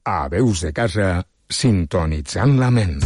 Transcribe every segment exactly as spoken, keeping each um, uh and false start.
A Veus de Casa, sintonitzant la ment.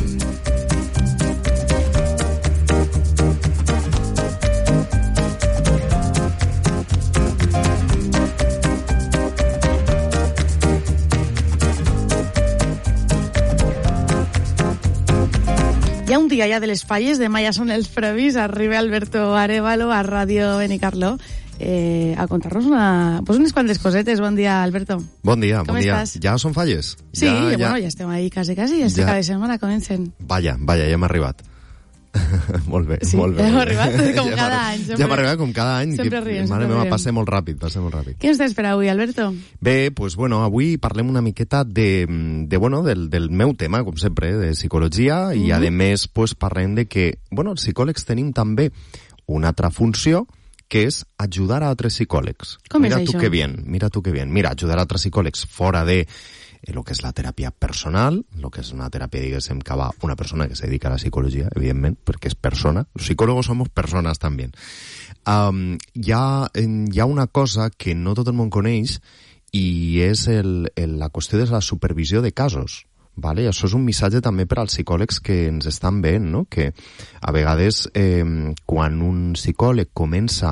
Hi ha un dia ja de les falles, demà ja són els previs, arriba Alberto Arévalo a Ràdio Benicarló eh, a contar-nos una, pues unes quantes cosetes. Bon dia, Alberto. Bon dia, Com bon dia. estàs? Ja són falles? Sí, ja, ja, ja... bueno, ja estem ahí quasi, quasi, ja, ja. Cada setmana comencen. Vaja, vaja, ja hem arribat. molt bé, sí, molt bé. Ja hem arribat com ja cada any. Sempre, ja hem arribat com cada any. Sempre riem, Mare sempre meva, riem. passa molt ràpid, passa molt ràpid. Què ens tens per avui, Alberto? Bé, pues bueno, avui parlem una miqueta de, de bueno, del, del meu tema, com sempre, de psicologia, mm-hmm. i a més pues, parlem de que, bueno, els psicòlegs tenim també una altra funció, que és ajudar a altres psicòlegs. Com mira és tu això? que bien, mira tu que bien. Mira, ajudar a altres psicòlegs fora de el que és la teràpia personal, el que és una teràpia, diguéssim, que va una persona que se dedica a la psicologia, evidentment, perquè és persona. Los psicólogos somos personas también. Um, hi, ha, hi ha una cosa que no tot el món coneix i és el, el, la qüestió de la supervisió de casos. Vale? Això és un missatge també per als psicòlegs que ens estan veient, no? Que a vegades eh, quan un psicòleg comença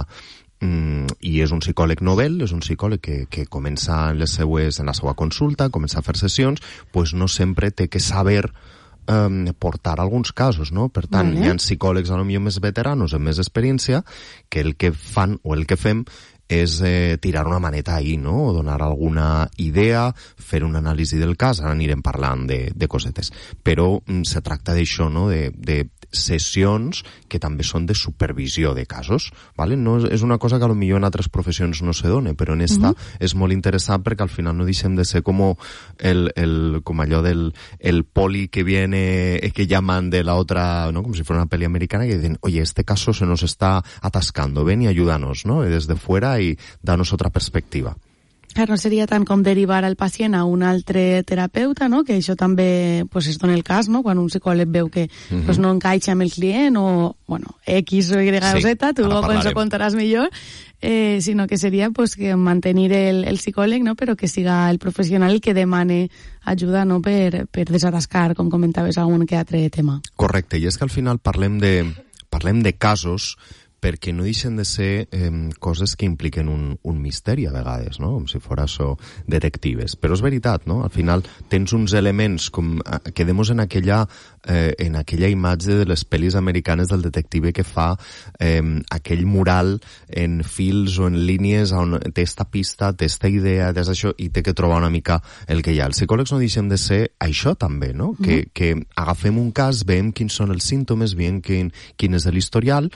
mm, i és un psicòleg novel, és un psicòleg que, que comença en, les seues, en la seva consulta, comença a fer sessions, pues no sempre té que saber eh, portar alguns casos, no? Per tant, vale. Hi ha psicòlegs a lo millor més veteranos, amb més experiència, que el que fan o el que fem és eh, tirar una maneta ahí, no? O donar alguna idea, fer un anàlisi del cas, ara anirem parlant de, de cosetes. Però mm, se tracta d'això, no? De, de sessions que també són de supervisió de casos, ¿vale? No és, és una cosa que a lo millor en altres professions no se dona, però en esta uh-huh. és molt interessant perquè al final no deixem de ser com el, el, com allò del el poli que viene, que llaman de la otra, ¿no? Como si fuera una peli americana, que dicen, oye, este caso se nos está atascando, ven y ayúdanos, ¿no? Y desde fuera y danos otra perspectiva. Clar, no seria tant com derivar el pacient a un altre terapeuta, no? Que això també pues, es dona el cas, no? Quan un psicòleg veu que uh-huh. pues, no encaixa amb el client o, bueno, X o Y o sí, Z, tu ens ho contaràs millor, eh, sinó que seria pues, que mantenir el, el psicòleg, no? Però que siga el professional el que demane ajuda, no? Per, per desatascar, com comentaves, algun que altre tema. Correcte, i és que al final parlem de, parlem de casos perquè no deixen de ser eh, coses que impliquen un, un misteri a vegades, no? Com si fos això detectives. Però és veritat, no? Al final tens uns elements com quedemos en aquella eh, en aquella imatge de les pel·lis americanes del detective que fa eh, aquell mural en fils o en línies on té esta pista, té esta idea, té això, i té que trobar una mica el que hi ha. Els psicòlegs no deixen de ser això també, no? Mm-hmm. Que, que agafem un cas, veiem quins són els símptomes, veiem quin, quin és l'historial,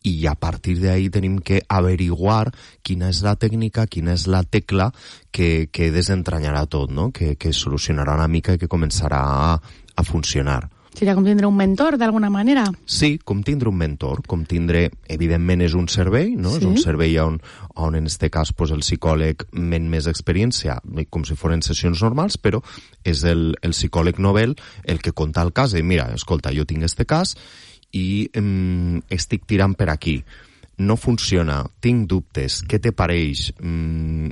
i a partir d'ahí tenim que averiguar quina és la tècnica, quina és la tecla que, que desentranyarà tot, no? Que, que solucionarà una mica i que començarà a, a funcionar. Seria com tindre un mentor, d'alguna manera? Sí, com tindre un mentor, com tindre, evidentment és un servei, no? Sí. És un servei on, on en este cas pues, el psicòleg men més experiència, com si foren sessions normals, però és el, el psicòleg novel el que conta el cas, i mira, escolta, jo tinc este cas, i eh, estic tirant per aquí, no funciona, tinc dubtes, què te pareix? Mm,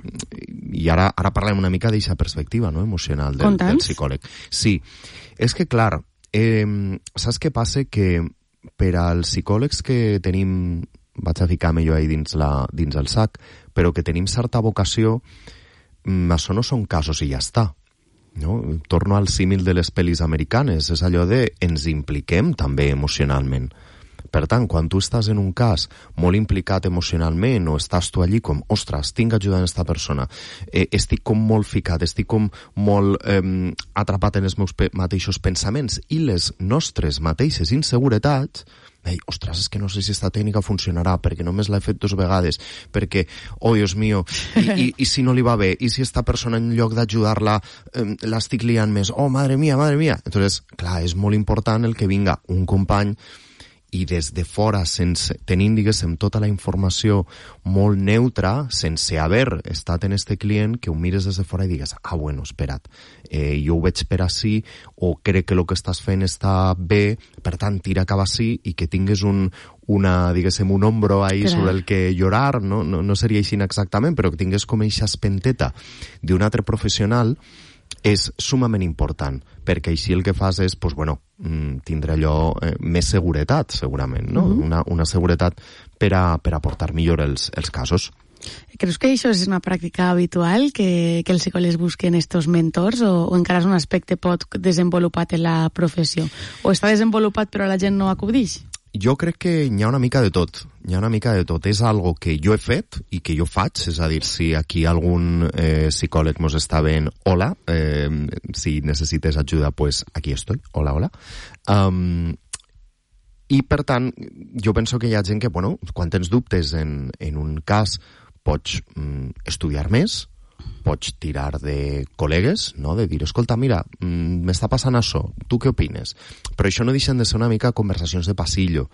i ara, ara parlem una mica d'aquesta perspectiva, no?, emocional del, del psicòleg. Sí, és que clar, eh, saps què passa? Que per als psicòlegs que tenim, vaig a ficar-me jo ahí dins, la, dins el sac, però que tenim certa vocació, mm, això no són casos i ja està. No? Torno al símil de les pel·lis americanes, és allò de ens impliquem també emocionalment. Per tant, quan tu estàs en un cas molt implicat emocionalment o estàs tu allí com, ostres, tinc ajuda en aquesta persona, eh, estic com molt ficat, estic com molt eh, atrapat en els meus pe- mateixos pensaments i les nostres mateixes inseguretats, ei, ostres, és que no sé si esta tècnica funcionarà perquè només l'he fet dues vegades, perquè, oh, Dios mío, i, i, i si no li va bé, i si esta persona en lloc d'ajudar-la eh, l'estic liant més, oh, madre mía, madre mía. Entonces, clar, és molt important el que vinga un company i des de fora, sense, tenint, diguéssim, tota la informació molt neutra, sense haver estat en este client, que ho mires des de fora i digues, ah, bueno, espera't, eh, jo ho veig per ací, o crec que el que estàs fent està bé, per tant, tira cap ací, i que tingues un, una, diguéssim, un ombro ahí Clar. sobre el que llorar, no, no, no seria així exactament, però que tingués com eixa espenteta d'un altre professional, és sumament important, perquè així el que fas és, pues, bueno, tindre allò eh, més seguretat, segurament, no? Uh-huh. Una, una seguretat per a, per a portar millor els, els casos. Creus que això és una pràctica habitual, que, que els psicòlegs busquen estos mentors, o, o encara és un aspecte pot desenvolupat en la professió? O està desenvolupat però la gent no acudix? Jo crec que hi ha una mica de tot, hi ha una mica de tot. És algo que jo he fet i que jo faig, és a dir, si aquí algun eh, psicòleg mos està veient, hola, eh, si necessites ajuda, pues aquí estoy, hola, hola. Um, I, per tant, jo penso que hi ha gent que, bueno, quan tens dubtes en, en un cas, pots mm, estudiar més, pots tirar de col·legues, no? De dir, escolta, mira, m'està passant això, tu què opines? Però això no deixen de ser una mica conversacions de passillo,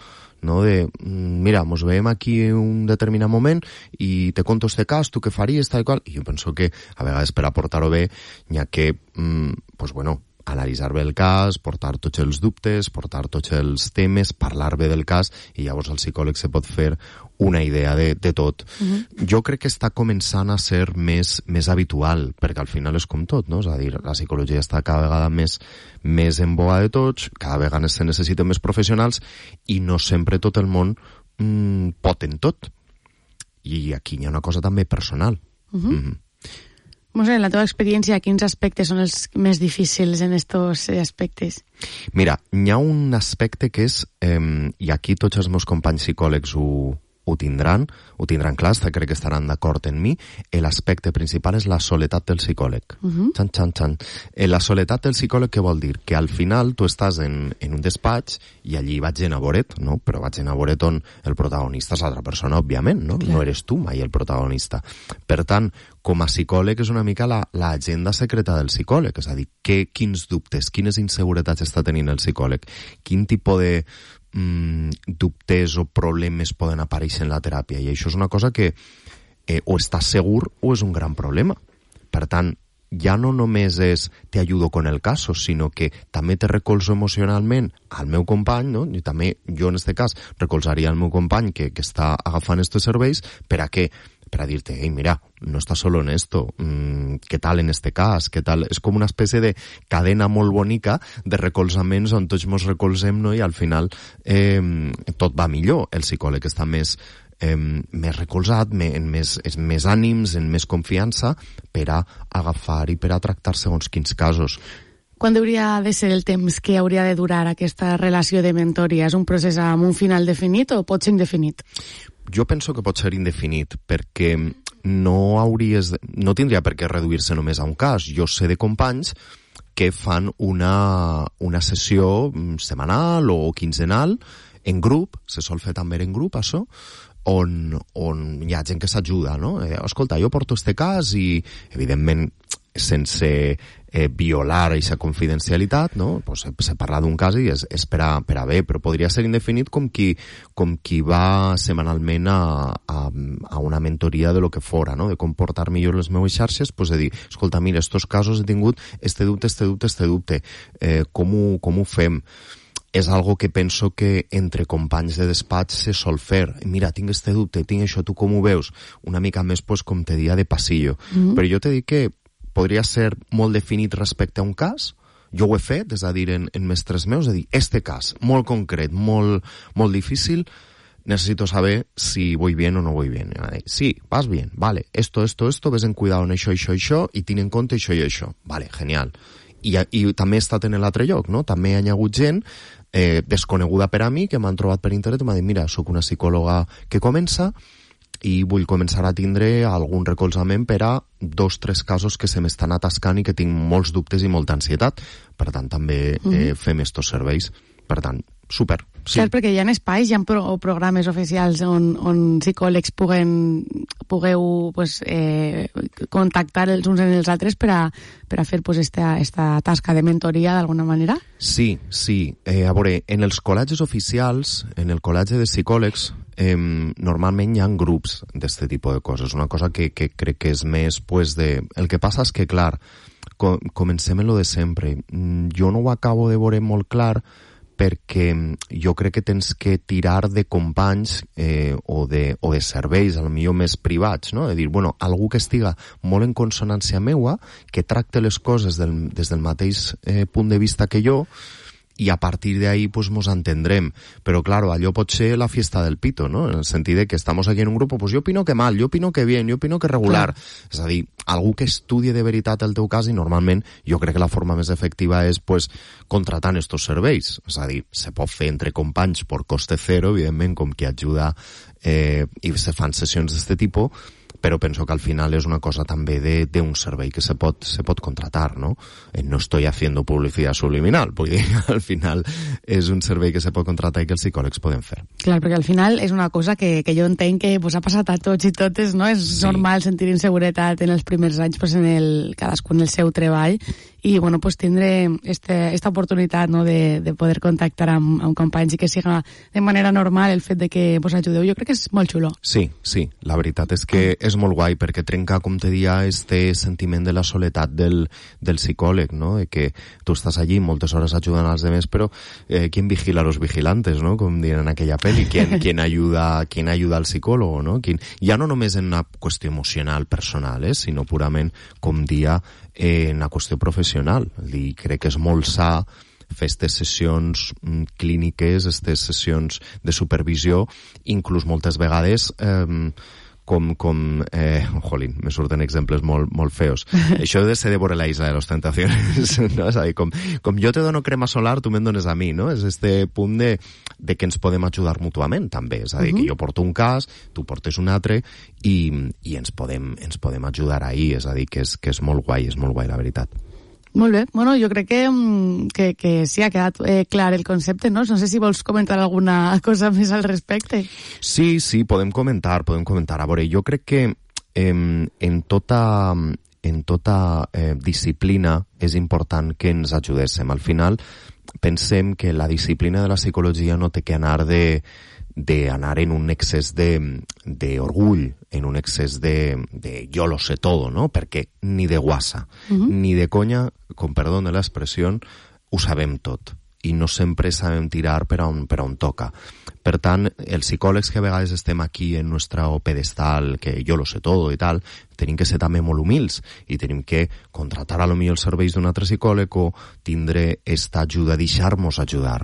no? De, mira, mos veiem aquí un determinat moment i te conto este cas, tu què faries, tal i qual? I jo penso que, a vegades, per aportar-ho bé, n'hi ha que, mm, pues bueno, analitzar bé el cas, portar tots els dubtes, portar tots els temes, parlar bé del cas, i llavors el psicòleg se pot fer una idea de, de tot. Uh-huh. Jo crec que està començant a ser més, més habitual, perquè al final és com tot, no? És a dir, la psicologia està cada vegada més, més en boga de tots, cada vegada se necessiten més professionals, i no sempre tot el món mm, pot en tot. I aquí hi ha una cosa també personal. Uh-huh. Mm-hmm. Mosè, en la teva experiència, quins aspectes són els més difícils en estos aspectes? Mira, hi ha un aspecte que és, eh, i aquí tots els meus companys psicòlegs ho, ho tindran, ho tindran clar, crec que estaran d'acord en mi, l'aspecte principal és la soledat del psicòleg. Uh-huh. Xan, xan, xan. La soledat del psicòleg què vol dir? Que al final tu estàs en, en un despatx i allí vaig en a veure't, no? Però vaig en a veure't on el protagonista és l'altra persona, òbviament, no? Clar. No eres tu mai el protagonista. Per tant, com a psicòleg és una mica la, l'agenda secreta del psicòleg, és a dir, que, quins dubtes, quines inseguretats està tenint el psicòleg, quin tipus de Mm, dubtes o problemes poden aparèixer en la teràpia, i això és una cosa que eh, o estàs segur o és un gran problema. Per tant, ja no només és te ajudo con el caso, sinó que també te recolzo emocionalment al meu company, no? I també jo en este cas recolzaria el meu company que, que està agafant estos serveis, per a què? Per a dir-te, ei, mira, no estàs solo en esto, mm, què tal en este cas, què tal? És com una espècie de cadena molt bonica de recolzaments on tots mos recolzem, no? I al final eh, tot va millor. El psicòleg està més, eh, més recolzat, més, en més, en més ànims, en més confiança per a agafar i per a tractar segons quins casos. Quan hauria de ser el temps que hauria de durar aquesta relació de mentoria? És un procés amb un final definit o pot ser indefinit? Jo penso que pot ser indefinit, perquè no hauries, no tindria per què reduir-se només a un cas. Jo sé de companys que fan una, una sessió setmanal o quinzenal en grup, se sol fer també en grup, això, on, on hi ha gent que s'ajuda, no? Eh, escolta, jo porto este cas i, evidentment, sense eh, violar aquesta confidencialitat, no? Pues se, se parla d'un cas i és, és per, a, per a bé, però podria ser indefinit com qui, com qui va setmanalment a, a, a una mentoria de lo que fora, no? De com portar millor les meves xarxes, pues de dir, escolta, mira, estos casos he tingut este dubte, este dubte, este dubte, eh, com, ho, com ho fem? És algo que penso que entre companys de despatx se sol fer. Mira, tinc este dubte, tinc això, tu com ho veus? Una mica més, pues, com te dia de passillo. Mm-hmm. Però jo te dic que podria ser molt definit respecte a un cas. Jo ho he fet, és a dir, en, en mestres meus, és a dir, este cas, molt concret, molt, molt difícil, necesito saber si voy bien o no voy bien. Sí, vas bien, vale, esto, esto, esto, ves en cuidado en això, això, això, i tinc en compte això i això. Vale, genial. I, i també he estat en l'altre lloc, no? També hi ha hagut gent eh, desconeguda per a mi que m'han trobat per internet i m'ha dit, mira, sóc una psicòloga que comença i vull començar a tindre algun recolzament per a dos, tres casos que se m'estan atascant i que tinc molts dubtes i molta ansietat. Per tant, també eh, fem estos serveis. Per tant, super. Sí. Cert, perquè hi ha espais, hi ha pro programes oficials on, on psicòlegs puguen, pugueu pues, eh, contactar els uns en els altres per a, per a fer pues, esta, esta tasca de mentoria d'alguna manera? Sí, sí. Eh, a veure, en els col·legis oficials, en el col·legi de psicòlegs, eh, normalment hi ha grups d'aquest tipus de coses. Una cosa que, que crec que és més pues, de... El que passa és que, clar, com, comencem en lo de sempre. Jo no ho acabo de veure molt clar perquè jo crec que tens que tirar de companys eh, o, de, o de serveis, a lo millor més privats, no? De dir, bueno, algú que estiga molt en consonància meua, que tracte les coses del, des del mateix eh, punt de vista que jo, i a partir de ahí pues nos entendrem. Pero claro, allò pot ser la fiesta del pito, ¿no? En el sentit de que estamos aquí en un grupo, pues yo opino que mal, yo opino que bien, yo opino que regular. Clar. És a dir, algú que estudie de veritat el teu cas, i normalment jo crec que la forma més efectiva és pues contratant estos serveis. És a dir, se pot fer entre companys por coste cero, evidentment, com que ajuda eh, i se fan sessions d'este tipus, però penso que al final és una cosa també d'un servei que se pot, se pot contratar, ¿no? Eh, no estoy haciendo publicidad subliminal, vull dir, al final és un servei que se pot contratar i que els psicòlegs poden fer. Clar, perquè al final és una cosa que, que jo entenc que pues, ha passat a tots i totes, no? És sí. normal sentir inseguretat en els primers anys, pues, en el, cadascun el seu treball, i bueno, pues, tindre este, esta oportunitat, no? de, de poder contactar amb, amb companys i que siga de manera normal el fet de que vos ajudeu, jo crec que és molt xulo. Sí, sí, la veritat és que és molt guai, perquè trenca, com te dia, este sentiment de la soledat del, del psicòleg, no? De que tu estàs allí moltes hores ajudant als demés, però eh, ¿quién vigila a los vigilantes, no? Com diuen en aquella pel·li, ¿quién, quién, ayuda, ¿quién ayuda al psicòlogo, no? ¿Quién, ja no només en una qüestió emocional, personal, eh? Sinó purament, com dia, eh, en una qüestió professional. I crec que és molt sa fer aquestes sessions mm, clíniques, aquestes sessions de supervisió, inclús moltes vegades eh, com, com eh, jolín, me surten exemples molt, molt feos. Això de ser de veure la isla de les tentacions, no? És a dir, com, com jo te dono crema solar, tu me'n dones a mi, no? És este punt de, de que ens podem ajudar mútuament, també. És a dir, uh-huh. que jo porto un cas, tu portes un altre, i, i ens, podem, ens podem ajudar ahir. És a dir, que és, que és molt guai, és molt guai, la veritat. Molt bé. Bueno, jo crec que, que, que sí, ha quedat eh, clar el concepte, no? No sé si vols comentar alguna cosa més al respecte. Sí, sí, podem comentar, podem comentar. A veure, jo crec que eh, en tota, en tota eh, disciplina és important que ens ajudéssim. Al final, pensem que la disciplina de la psicologia no té que anar de d'anar en un excés de, de orgull, en un excés de, de yo lo sé todo, ¿no? Perquè ni de guasa, uh-huh. ni de conya, con perdón de l'expressió, ho sabem tot. I no sempre sabem tirar per a on, per a on toca. Per tant, els psicòlegs que a vegades estem aquí en nostre pedestal, que jo lo sé todo i tal, tenim que ser també molt humils i tenim que contratar a lo millor els serveis d'un altre psicòleg o tindre esta ajuda, deixar-nos ajudar.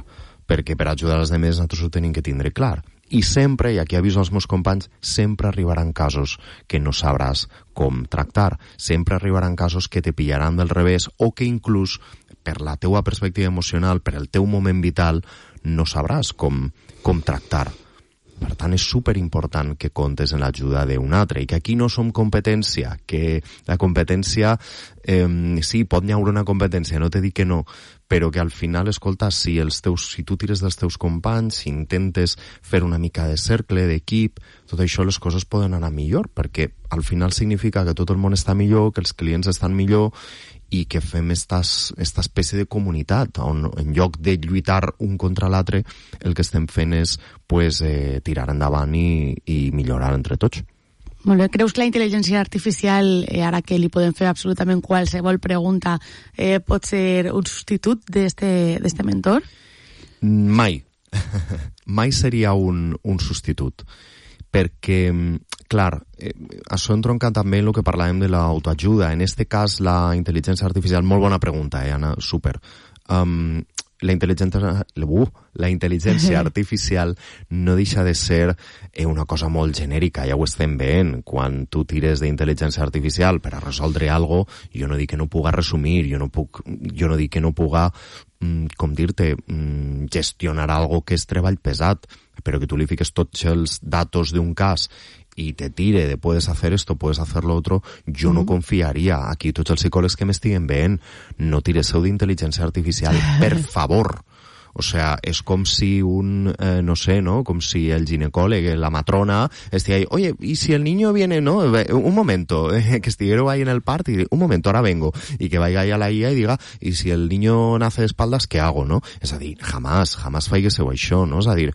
Perquè per ajudar els demés nosaltres ho tenim que tindre clar. I sempre, i aquí aviso als meus companys, sempre arribaran casos que no sabràs com tractar. Sempre arribaran casos que te pillaran del revés o que inclús per la teua perspectiva emocional, per el teu moment vital, no sabràs com, com tractar. Per tant, és superimportant que comptes en l'ajuda d'un altre i que aquí no som competència, que la competència, eh, sí, pot n'hi haure una competència, no te dic que no, però que al final, escolta, si, els teus, si tu tires dels teus companys, si intentes fer una mica de cercle, d'equip, tot això les coses poden anar millor, perquè al final significa que tot el món està millor, que els clients estan millor i que fem estas, esta espècie de comunitat on en lloc de lluitar un contra l'altre el que estem fent és pues, eh, tirar endavant i, i millorar entre tots. Molt bé. Creus que la intel·ligència artificial, eh, ara que li podem fer absolutament qualsevol pregunta, eh, pot ser un substitut d'este mentor? Mai. Mai seria un, un substitut. Perquè, clar, eh, això entronca també en el que parlàvem de l'autoajuda. En este cas, la intel·ligència artificial, molt bona pregunta, eh, Anna, super. Um, la intel·ligència, uh, la intel·ligència artificial no deixa de ser eh, una cosa molt genèrica, ja ho estem veient. Quan tu tires d'intel·ligència artificial per a resoldre alguna cosa, jo no dic que no puga resumir, jo no, puc, jo no dic que no puga, mm, com dir-te, mm, gestionar algo que és treball pesat, però que tu li fiques tots els datos d'un cas i te tire de puedes hacer esto, puedes hacer lo otro, jo mm. no confiaria. Aquí tots els psicòlegs que m'estiguen veient, no tiresseu d'intel·ligència artificial, per favor. O sea, és com si un, eh, no sé, ¿no? Com si el ginecòleg, la matrona, estigui ahí, oye, ¿y si el niño viene, no? Un momento, eh, que estiguero ahí en el part y un momento, ahora vengo. Y que vaya ahí a la I A y diga, ¿y si el niño nace de espaldas, qué hago, no? És a dir, jamás, jamás faigueseu això, no? És a dir,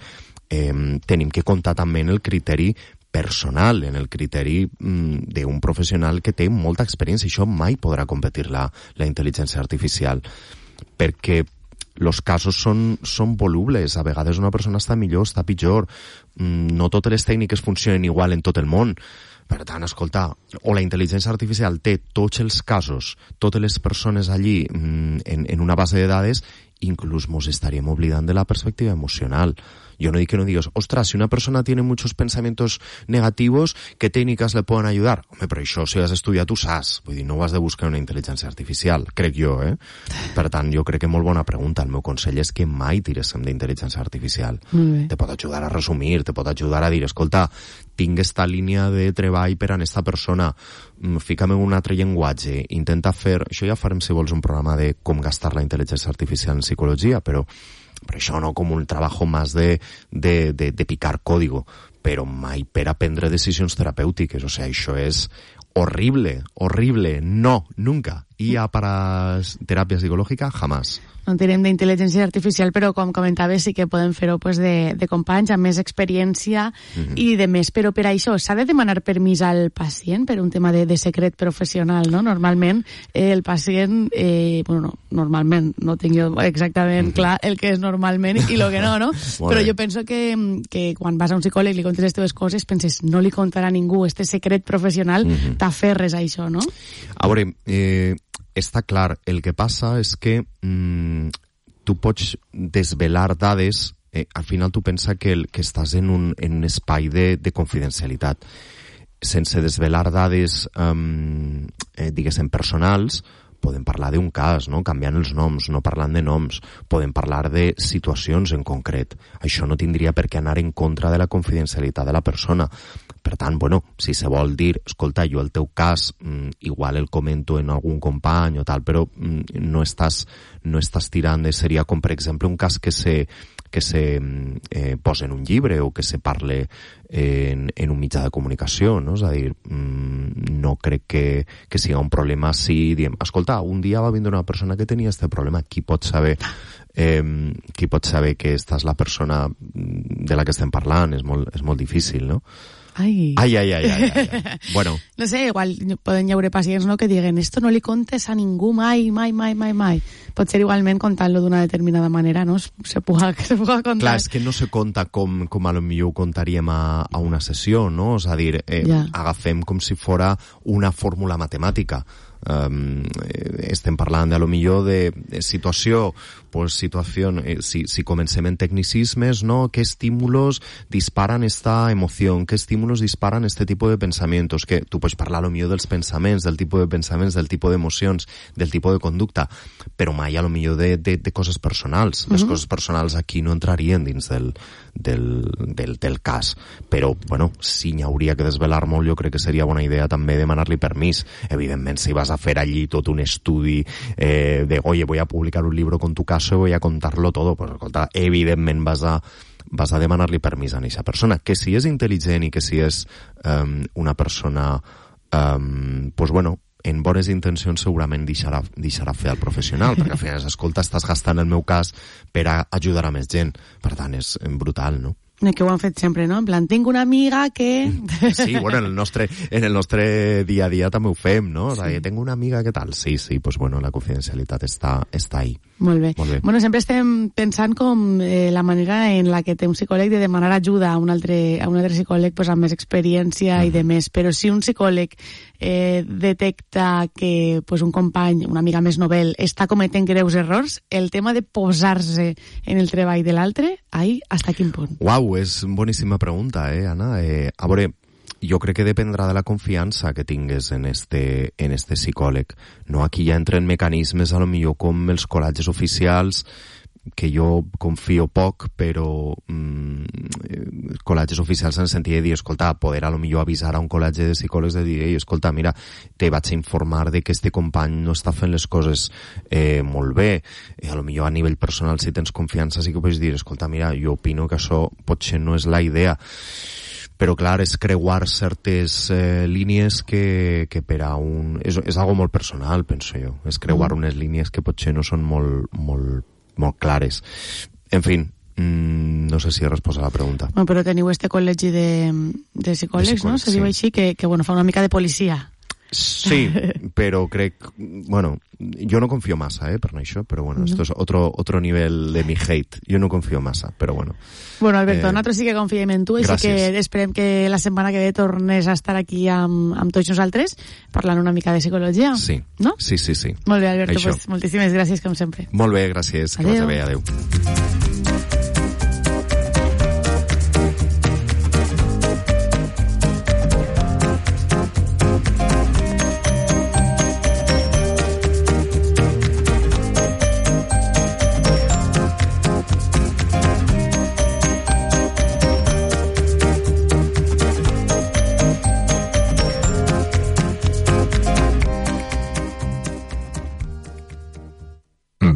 eh, tenim que comptar també en el criteri personal, en el criteri mm, d'un professional que té molta experiència. Això mai podrà competir la, la intel·ligència artificial. Perquè los casos són, són volubles, a vegades una persona està millor, està pitjor, no totes les tècniques funcionen igual en tot el món. Per tant, escolta, o la intel·ligència artificial té tots els casos, totes les persones allí en, en una base de dades, inclús mos estaríem oblidant de la perspectiva emocional. Yo no digo que no digas, ostras, si una persona tiene muchos pensamientos negativos, ¿qué técnicas le pueden ayudar? Home, però això, si has estudiat, tu saps. Vull dir, no ho has de buscar una intel·ligència artificial, crec jo, eh? Per tant, jo crec que molt bona pregunta. El meu consell és que mai tiréssim d'intel·ligència artificial. Mm. Te pot ajudar a resumir, te pot ajudar a dir, escolta, tinc esta línia de treball per a esta persona, fica'm en un altre llenguatge, intenta fer... Això ja farem, si vols, un programa de com gastar la intel·ligència artificial en psicologia, però però això no com un treball més de, de, de, de picar código, però mai per a prendre decisions terapèutiques. O sigui, això és horrible, horrible, no, nunca. I a para teràpia psicològica, jamás. No tirem d'intel·ligència artificial, però com comentaves sí que podem fer-ho pues, de, de companys amb més experiència mm-hmm. i de més. Però per això s'ha de demanar permís al pacient per un tema de, de secret professional, no? Normalment eh, el pacient, eh, bueno, no, normalment, no tinc jo exactament mm-hmm. clar el que és normalment i el que no, no? Però jo penso que, que quan vas a un psicòleg i li contes les teves coses, penses, no li contarà a ningú este secret professional, mm-hmm. t'aferres a això, no? A veure, eh, està clar, el que passa és que mm, tu pots desvelar dades, eh, al final tu pensa que, el, que estàs en un, en un espai de, de confidencialitat. Sense desvelar dades, um, eh, diguéssim, personals, podem parlar d'un cas, no? Canviant els noms, no parlant de noms, podem parlar de situacions en concret. Això no tindria per què anar en contra de la confidencialitat de la persona. Per tant, bueno, si se vol dir, escolta, jo el teu cas, mm, igual el comento en algun company o tal, però mm, no estàs, no estàs tirant de... Seria com, per exemple, un cas que se, que se eh, posa en un llibre o que se parle en, en un mitjà de comunicació, no? És a dir, mm, no crec que, que sigui un problema si diem, escolta, un dia va vindre una persona que tenia este problema, qui pot saber... Eh, qui pot saber que esta és la persona de la que estem parlant? És molt, és molt difícil, no? Ai. Ai, ai, ai, ai, ai. Bueno. No sé, igual poden hi haure pacients, no?, que diguen esto no li contes a ningú mai, mai, mai, mai, mai. Pot ser igualment contant-lo d'una determinada manera, no? Se puga, se puga contar. Clar, és que no se conta com, com a lo millor ho contaríem a, a una sessió, no? És a dir, eh, ja. agafem com si fora una fórmula matemàtica. Um, estem parlant de, a lo millor de, de situació, pues situación, eh, si, si comencem en tecnicismes, ¿no? ¿Qué estímulos disparan esta emoción? ¿Qué estímulos disparan este tipo de pensamientos? Que tu pots parlar a lo millor dels pensaments, del tipus de pensaments, del tipus d'emocions, del tipus de conducta, però mai a lo millor de, de, de coses personals. Les uh-huh. coses personals aquí no entrarien dins del, del, del, del cas. Però, bueno, si n'hi hauria que desvelar molt, jo crec que seria bona idea també demanar-li permís. Evidentment, si vas a fer allí tot un estudi eh, de, oye, voy a publicar un libro con tu caso y voy a contarlo todo, pues, escolta, evidentment vas a, vas a demanar-li permís a aquesta persona. Que si és intel·ligent i que si és um, una persona, um, pues bueno, en bones intencions segurament deixarà, deixarà fer al professional, perquè al final, escolta, estàs gastant el meu cas per a ajudar a més gent. Per tant, és brutal, no? Que ho han fet sempre, no? En plan, tinc una amiga que... Sí, bueno, en el nostre, en el nostre dia a dia també ho fem, no? Sí. Tengo una amiga que tal. Sí, sí, pues bueno, la confidencialitat està, està ahí. Molt bé. Molt bé. Bueno, sempre estem pensant com eh, la manera en la que té un psicòleg de demanar ajuda a un altre, a un altre psicòleg pues, amb més experiència mm. i de més. Però si un psicòleg eh, detecta que pues, un company, una amiga més novel, està cometent greus errors, el tema de posar-se en el treball de l'altre, ahí, hasta quin punt? Uau, és boníssima pregunta, eh, Anna? Eh, a veure, jo crec que dependrà de la confiança que tingues en este, en este psicòleg. No, aquí ja entren mecanismes a lo millor com els col·legis oficials, que jo confio poc, però mm, col·legis oficials en el sentit de dir, escolta, poder a lo millor avisar a un col·legi de psicòlegs de dir, ei, escolta, mira, te vaig a informar de que este company no està fent les coses eh, molt bé. Eh, a lo millor a nivell personal, si tens confiança, sí que pots dir, escolta, mira, jo opino que això potser no és la idea. Però clar, és creuar certes eh, línies que, que per a un... És, és algo molt personal, penso jo. És creuar mm. unes línies que potser no són molt, molt, molt clares. En fi, mmm, no sé si he respost a la pregunta. Bueno, però teniu este col·legi de, de psicòlegs, de psicòlegs, no? Se sí. diu així, que, que bueno, fa una mica de policia. Sí, però crec... Bueno, jo no confio massa, eh, per això, però bueno, no. Esto es otro, otro nivel de mi hate. Jo no confio massa, però bueno. Bueno, Alberto, eh, nosaltres sí que confiem en tu, així que esperem que la setmana que ve tornes a estar aquí amb, amb tots nosaltres parlant una mica de psicologia. Sí, no? sí, sí, sí. Molt bé, Alberto, pues, moltíssimes gràcies, com sempre. Molt bé, gràcies. Adeu. Que vagi bé, adeu.